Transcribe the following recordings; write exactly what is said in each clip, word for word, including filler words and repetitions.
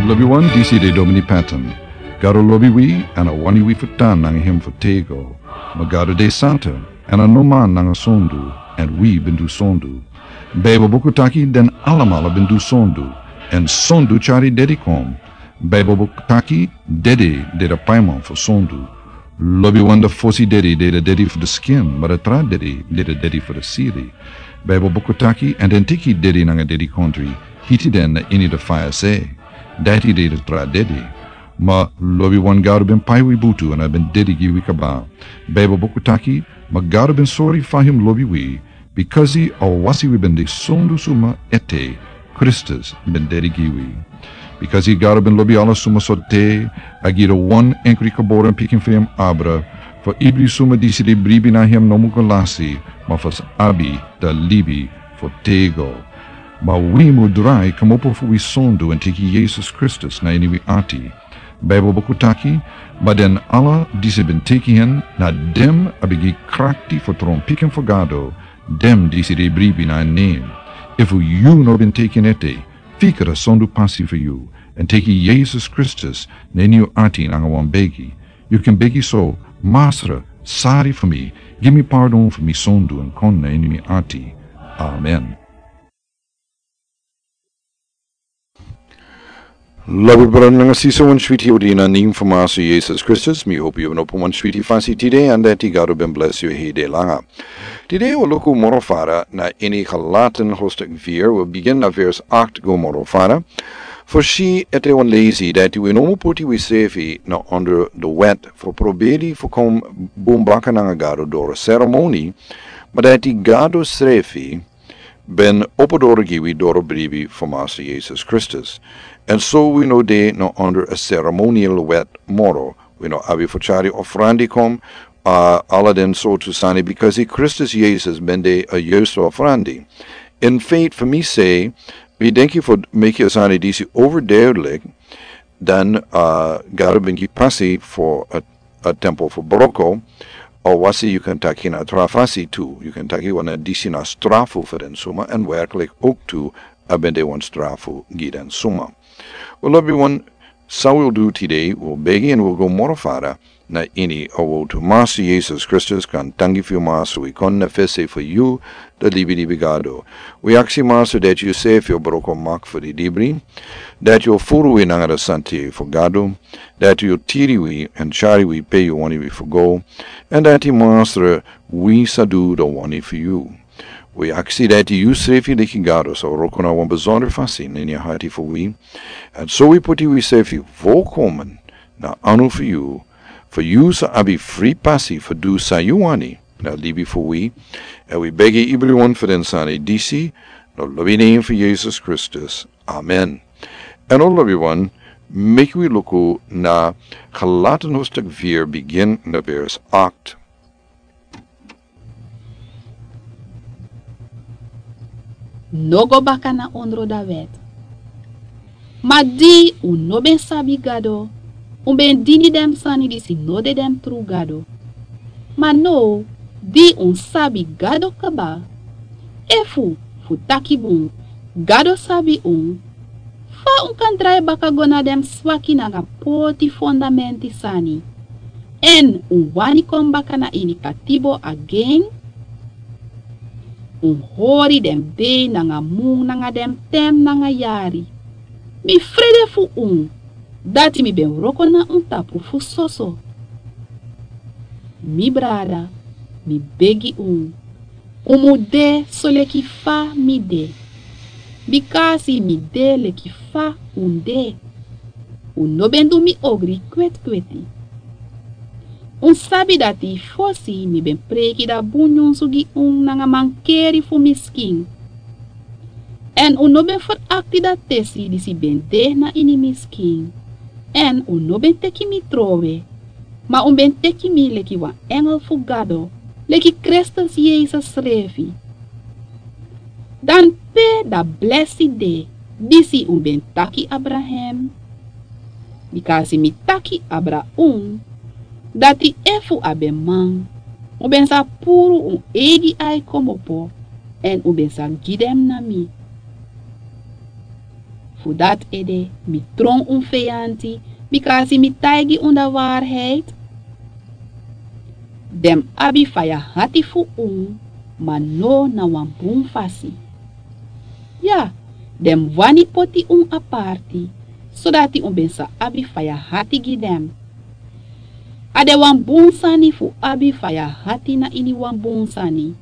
Lobiwan, disi de Domini Patton. Gado lobi wi, èn a wani wi fu tan nanga en fu tego. Ma Gado de santa, èn a no man nanga sondu, èn wi ben du sondu. Beibel buku taki den alamala ben du sondu, èn sondu tyari dedi kon. Beibel buku taki dedi de a paiman fu sondu. Lobiwan, a fosi dedi de a dedi fu a skin, ma a tra dedi de a dedi fu a siri. Beibel buku taki, èn den teki dedi nanga dedikondre, hiti den na ini a faya sei. Dati de a tra dedi. Ma lobiwan, Gado ben pai wi butu èn a ben dedi gi wi kaba. Beibel buku taki, ma Gado ben sori fa en lobi wi, bikasi a wasi wi ben de sondu suma ete, Kristus ben dedi gi wi. Bikasi Gado ben lobi ala suma so te, a gi a wan enkri geboren pikin fu en abra, fu ibri suma disi de bribi na en no mu go lasi, ma fu sa abi a libi fu tego. Ma wi mu drai kmopo fu wi sondu èn teki Yesus Kristus na ini wi ati. Beibel buku taki, ma den ala disi ben teki en, na den a ben gi krakti fu tron pikin fu Gado, den disi de bribi na en nen. Efu yu no ben teki en ete, fika a sondu pasi fu yu, èn teki Yesus Kristus na ini yu ati nanga wan begi. Yu kan begi so: Masra, sori fu mi, gi mi pardon fu mi sondu èn kon na ini mi ati. Amen. Lobi brada nanga sisa, wan switi odi na nen fu Masra Yesus Kristus. Mi hopi yu ben opo wan switi fasi tide, èn dati Gado ben blesi yu heri langa. Tide wi o luku moro fara na ini Galaten hoofdstuk vier, wi bigin na vers acht go moro fara. Fu si ete wan lesi dati wi no mu poti wisrefi na onder de wet fu proberi fu kon bun baka nanga Gado doro seremoni, ma dati Gado srefi ben opo doro gi wi doro bribi fu Masra Yesus Kristus. Èn so wi no de na onder a seremoniële wet moro. Wi no abi fu tyari ofrandi kon, a, ala den sortu sani, bikasi Kristus Yesus ben de a juiste ofrandi. In feite, fu mi sei, wi denki fu meki a sani disi overduidelijk, dan, a, Gado ben gi pasi fu a, a tempo fu broko, a wasi yu kan taki na tra fasi tu, yu kan taki wan disi na strafu fu den suma, èn werkelijk ook tu, a ben de wan strafu gi den suma. Wi lobiwan, san wi o du tide, wi o begi èn wi o go moro fara na ini a wortu. Masra Yesus Kristus, kon danki fu yu, Masra, wi kon na fesi fu yu, a libi libi Gado. Wi aksi, Masra, dati yu srefi o broko mak fu di libri, dati yu o furu wi nanga a santa fu Gado, dati yu o tiri wi èn tyari wi pe yu wani wi fu go, èn dati, Masra, wi sa du a wani fu yu. Wi aksi dati yu srefi leki Gado sa wroko na wan besonder fasi na ini a hati fu wi. Èn so wi poti wisrefi volkomen na anu fu yu, fu yu sa abi fri pasi fu du san yu wani na libi fu wi. Èn wi begi ibriwan fu den sani disi na lobi nen fu Yesus Kristus. Amen. Èn o lobiwan, meki wi luku na Galaten hoofdstuk vier, bigin na vers acht. No go baka na ondro da wet. Ma di un no ben sabi Gado, un ben dini den sani disi no de den tru Gado. Ma now, di un sabi Gado kaba, efu, fu taki bun, Gado sabi un, fa un kan drai baka go na den swaki nanga poti fondamenti sani, èn un wani kon baka na ini katibo agen? Un hori den dei nanga mun nanga den ten nanga yari. Mi frede fu un, dati mi ben wroko na un tapu fu soso. Mi brada, mi begi un, un mu de soleki fa mi de, bikasi mi de leki fa un de. Un no ben du mi ogri kwetkweti. Un sabi dati fosi mi ben preiki da bun nyunsu gi un nanga mankeri fu mi skin. Èn un no ben ferakti da tesi disi ben de na ini mi skin. Èn un no ben teki mi trowe, ma un ben teki mi leki wan engel fu Gado, leki Kristus Yesus srefi. Dan pe da blesi de disi un ben taki abra hem? Bikasi mi taki abra un, dati efu a ben man, un ben sa puru un eigi ai komopo, èn un ben sa gi den na mi. Fu dati ede mi tron un feyanti, bika a si mi taigi un da waarheid. Den mus abi faya hati fu un, ma no na wan bun fasi. Ya, den mus wani poti un aparti, sodati un ben sa abi faya hati gi den. A de wan bun sani fu abi faya hati na ini wan bun sani,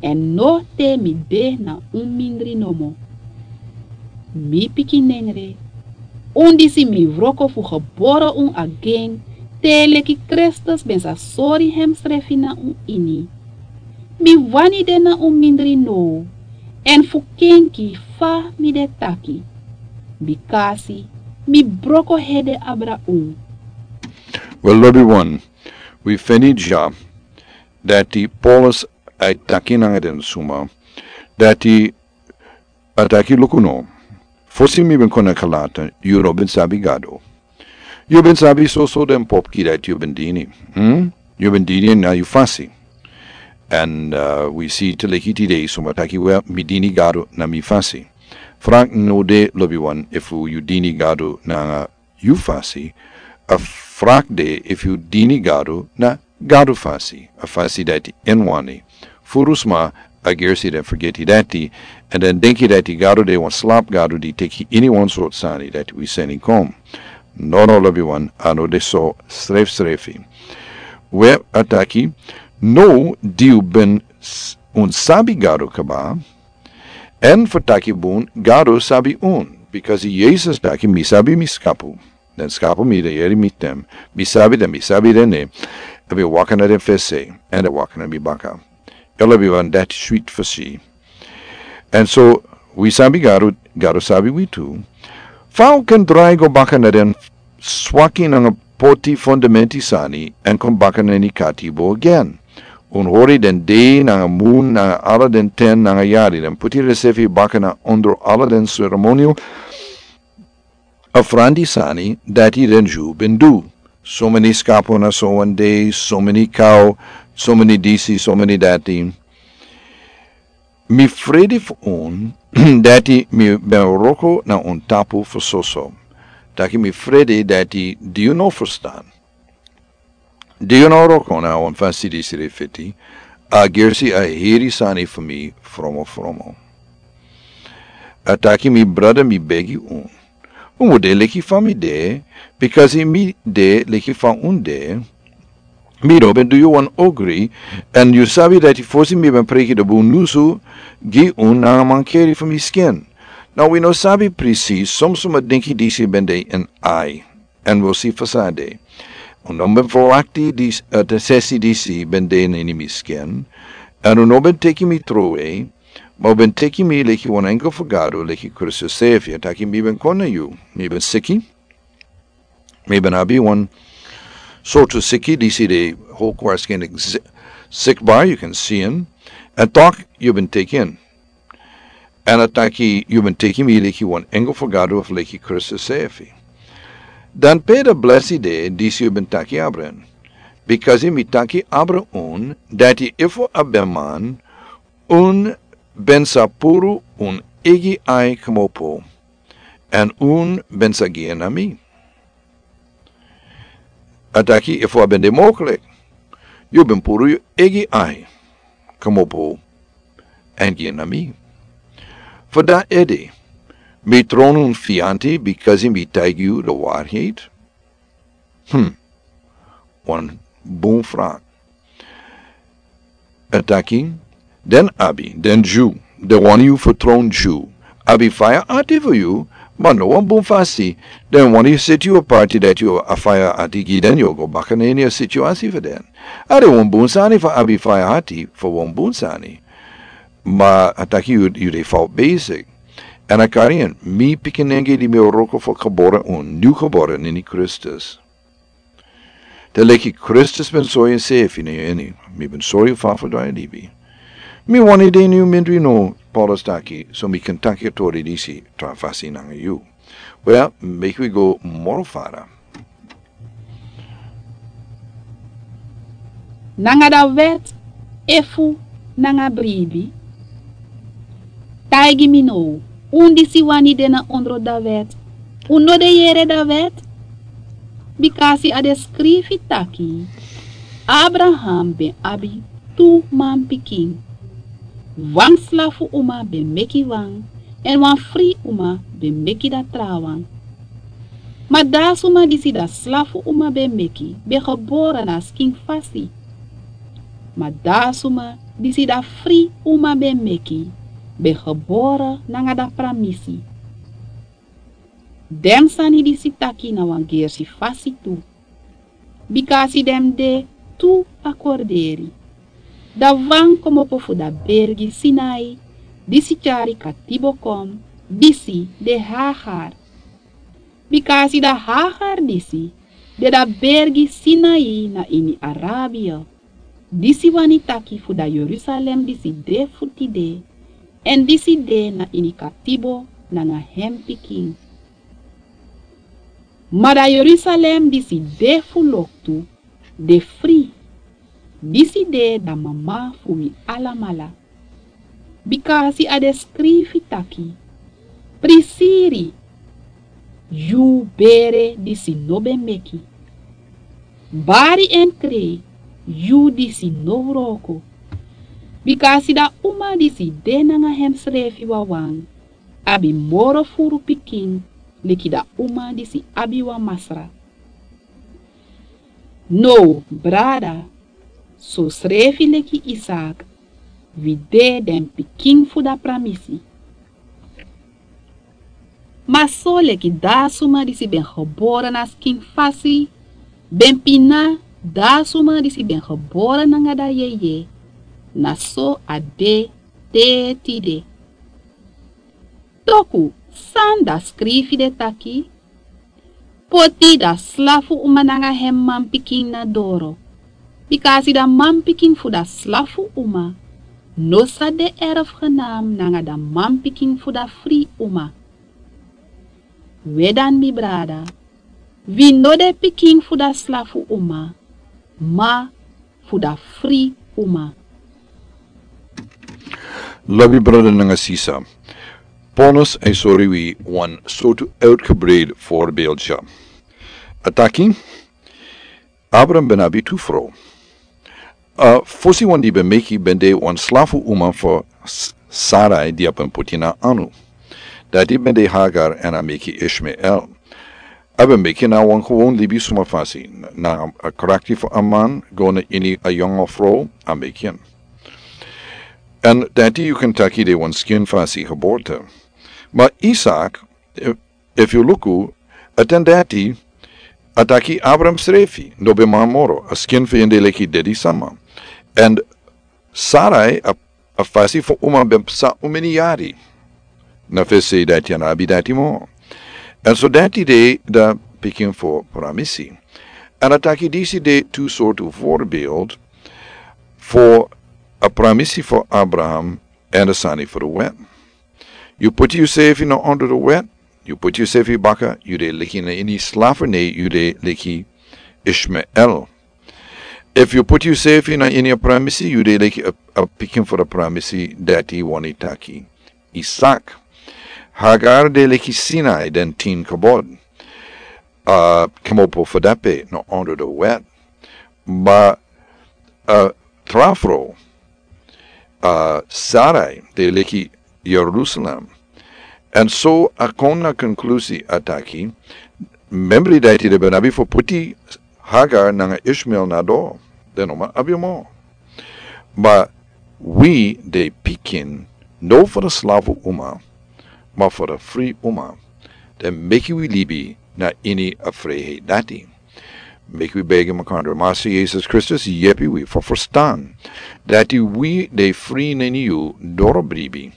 èn no te mi de na un mindri nomo. Mi pikinengre, un disi mi wroko fu gebore un agen, te leki Kristus ben sa sori hemsrefi na un ini. Mi wani de na un mindri now, èn fu kenki fa mi de taki. Bikasi mi broko hede abra un. Wel, lobi wan, wi feni dya dati Paulus a e taki nanga den suma dati a taki: Luku no, fosi mi ben kon na Galata, yu no ben sabi Gado. Yu ben sabi soso den popki dati yu ben dini. Hmm? Yu ben dini na yu fasi. Èn, uh, wi si te leki tide suma taki: Wel, mi dini Gado na mi fasi. Fraki no de, lobi wan, efu yu dini Gado nanga yu fasi. A fraki de efu yu dini Gado na Gado fasi, a fasi dati en wani. Furu sma a gersi den fergeti dati, èn den denki dati Gado de wan slapu Gado di teki iniwan sortu sani dati wi seni kon. No, no, lobi wan, a no de so srefsrefi. We, a taki: Now di yu ben s-, un sabi Gado kaba, èn fu taki bun, Gado sabi un, bikasi Yesus taki: Mi sabi mi skapu. Den skapu mi de yere mi stem. Mi sabi den, mi sabi den, ne. A ben waka na den fesi, èn den waka na mi baka. Lobi wan, dati switi fu si. Èn so wi sabi Gado, Gado sabi wi tu. Fa un kan drai go baka na den swaki nanga poti fundamenti sani èn kon baka na ini katibo agen? Un hori den dei nanga mun nanga ala den ten nanga yari, den puti densefi baka na ondro ala den seremonio ofrandi sani dati den Dyu ben du. So meni skapu na so wan dei, so meni kau, so meni disi, so meni dati. Mi frede fu un, dati mi ben wroko na un tapu fu soso. Taki mi frede dati di yu no ferstan. Di yu no wroko na wan fasi disi de fiti, a gersi a heri sani fu mi fromofromo. A taki: Mi brada, mi begi un, un mu de leki fa mi de, bikasi mi de leki fa un de. Mi no ben du yu wan ogri, èn yu sabi dati fosi mi ben preki den bun nyunsu gi un nanga mankeri fu mi skin. Now wi no sabi precies, son suma denki disi ben de ini ai. Èn wi o si fa san a de. Un no ben ferwakti disi, eh, den sesi disi ben de na ini mi skin. Èn un no ben teki mi trowe, ma un ben teki mi leki wan engel fu Gado, leki Kristus srefi. A taki: Mi ben kon na yu, mi ben siki. Mi ben abi wan sortu siki disi de hol kwarskin sik bai, yu kan si en. Èn tok yu ben teki en. Èn a taki: Yu ben teki mi leki wan engel fu Gado of leki Kristus srefi. Dan pe den blesi de disi yu ben taki abra en? Bikasi mi taki abra un dati efu a ben man, un ben sa puru un eigi ai kmopo, èn un ben sa gi en na mi. A taki: Efu a ben de moklik, yu ben puru yu eigi ai kmopo èn gi en na mi. Fu dati ede, mi tron un feyanti bikasi mi taigi yu den waarheid? Hm. Wan bun fraki. A taki: Den abi, den Dyu, den wani yu fertron Dyu, abi faya ati fu yu, ma no wan bun fasi. Den wani yu seti yu aparti dati yu a faya ati gi den, yu o go baka na ini a situasi fu den. A de wan bun sani fu abi faya ati fu wan bun sani. Ma a taki yu, yu de fout bezig. Èn a kari en, mi pikinengre di mi o wroko fu gebore un, nyun gebore na ini Kristus. Te leki Kristus ben sori ensefi na yu ini, mi ben sori yu fa fu drai libi. Mi wani de ini yu mindri now, Paulus taki, so mi kan taki a tori disi tra fasi nanga yu. Wel, meki wi go moro fara. Nanga dan wet, efu nanga bribi? Taigi mi now, Un disi wani de na ondro dan wet, un no de yere dan wet? Bika a si a de skrifi taki, Abraham ben abi tu manpikin. Wan slafu uma ben meki wan, èn wan fri uma ben meki dati trawan. Ma da a suma disi da slafu uma ben meki ben gebore na a skin fasi. Ma da a suma disi da fri uma ben meki ben gebore nanga da pramisi. Den sani disi taki na wan gersi fasi tu. Bika a si den de tu a korderi. Da wan komopo fu da bergi Sinai, disi tyari katibo kon, disi de Hagar. Bika a si da Hagar disi de da bergi Sinai na ini Arabia. Disi wani taki fu da Yerusalem disi de fu tide, èn disi de na ini katibo nanga hen pikin. Ma da Yerusalem disi de fu loktu de fri. Disi de da mama fu wi alamala. Bika a si a de skrifi taki, prisiri, yu bere disi no ben meki. Bari en kre, yu disi no wroko. Bika a si da uma disi de nanga hemsrefi wawan abi moro furu pikin leki da uma disi abi wan masra. Now, brada, sosrefi leki Isak, wi de den pikin fu da pramisi. Ma so leki da suma disi ben gebore na skin fasi ben pina da suma disi ben gebore nanga da yeye, na so a de te tide. Toku san da skrifi de taki, poti da slafu uma nanga hen manpikin na doro. Bika a si da manpikin fu da slafu uma no sa de erfgenaam nanga da manpikin fu da fri uma. We dan, mi brada, wi no de pikin fu da slafu uma, ma fu da fri uma. Lobi brada nanga sisa, Paulus e sori wi wan sortu uitgebreid voorbeeld dya. A taki, Abraham ben abi tu frow. A fosi wan di ben meki ben de wan slafu uma fu S-, Sarai di a ben poti na anu. Dati ben de Hagar, èn a meki Ishmael. A ben meki na wan gewoon libisma fasi, na a krakti fu a man go na ini a yonga frow a meki en. Èn dati yu kan taki de wan skin fasi geboorte. Ma Isak, efu, efu yu luku, a ten dati, a taki Abraham srefi no ben man moro, a skin fu en de leki dedi sama. Èn Sarai, a, a fasi fu uma ben psa un meni yari. Na fesi dati a no abi dati moro. Èn so dati de da pikin fu pramisi. Èn a taki disi de tu sortu voorbeeld fu a pramisi fu Abraham èn a sani fu da wet. Yu poti yusrefi na ondro da wet, yu poti yusrefi baka, yu de leki na ini slavernij, yu de leki Ishmael. Efu yu poti yusrefi na ini a pramisi, yu de leki a, a pikin fu da pramisi dati wani taki Isak. Hagar de leki Sinai den tin kabod. A, komopo fu dape na ondro da wet. Ma, a, tra frow, a, Sarai de leki Jerusalem. Èn so a kon na konklusi a taki, membri dati den ben abi fu poti Hagar nanga Ishmael na doro, den no man abi moro. Ma wi de pikin, no fu da slafu uma, ma fu da fri uma. Den meki wi libi na ini a friheit dati. Meki wi begi makandra, Massa Yesus Kristus, yepi wi fu ferstan dati wi de fri na ini yu doro bribi,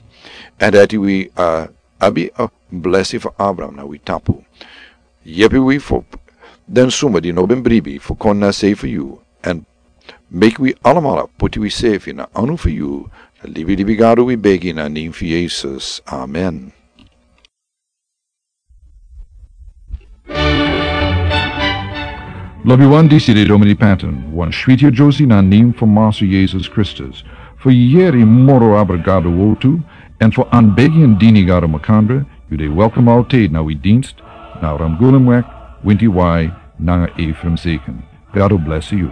èn dati wi, a, abi a blesi fu Abraham na wi tapu. Yepi wi fu den suma di no ben bribi fu kon na sei fu yu, èn meki wi alamala poti wisrefi na anu fu yu. Na libi libi Gado wi begi na nen fu Yesus. Amen. Lobi wan, disi de Domini Patton, wan switi yere na nen fu Massa Yesus Kristus, fu yere moro abra Gado wortu, Èn fu anbegi en dini gado makandra, yu de welkom altid na wi dinst, na ramgulum wek, winti wai, nanga efrem seken. Gado blesi yu.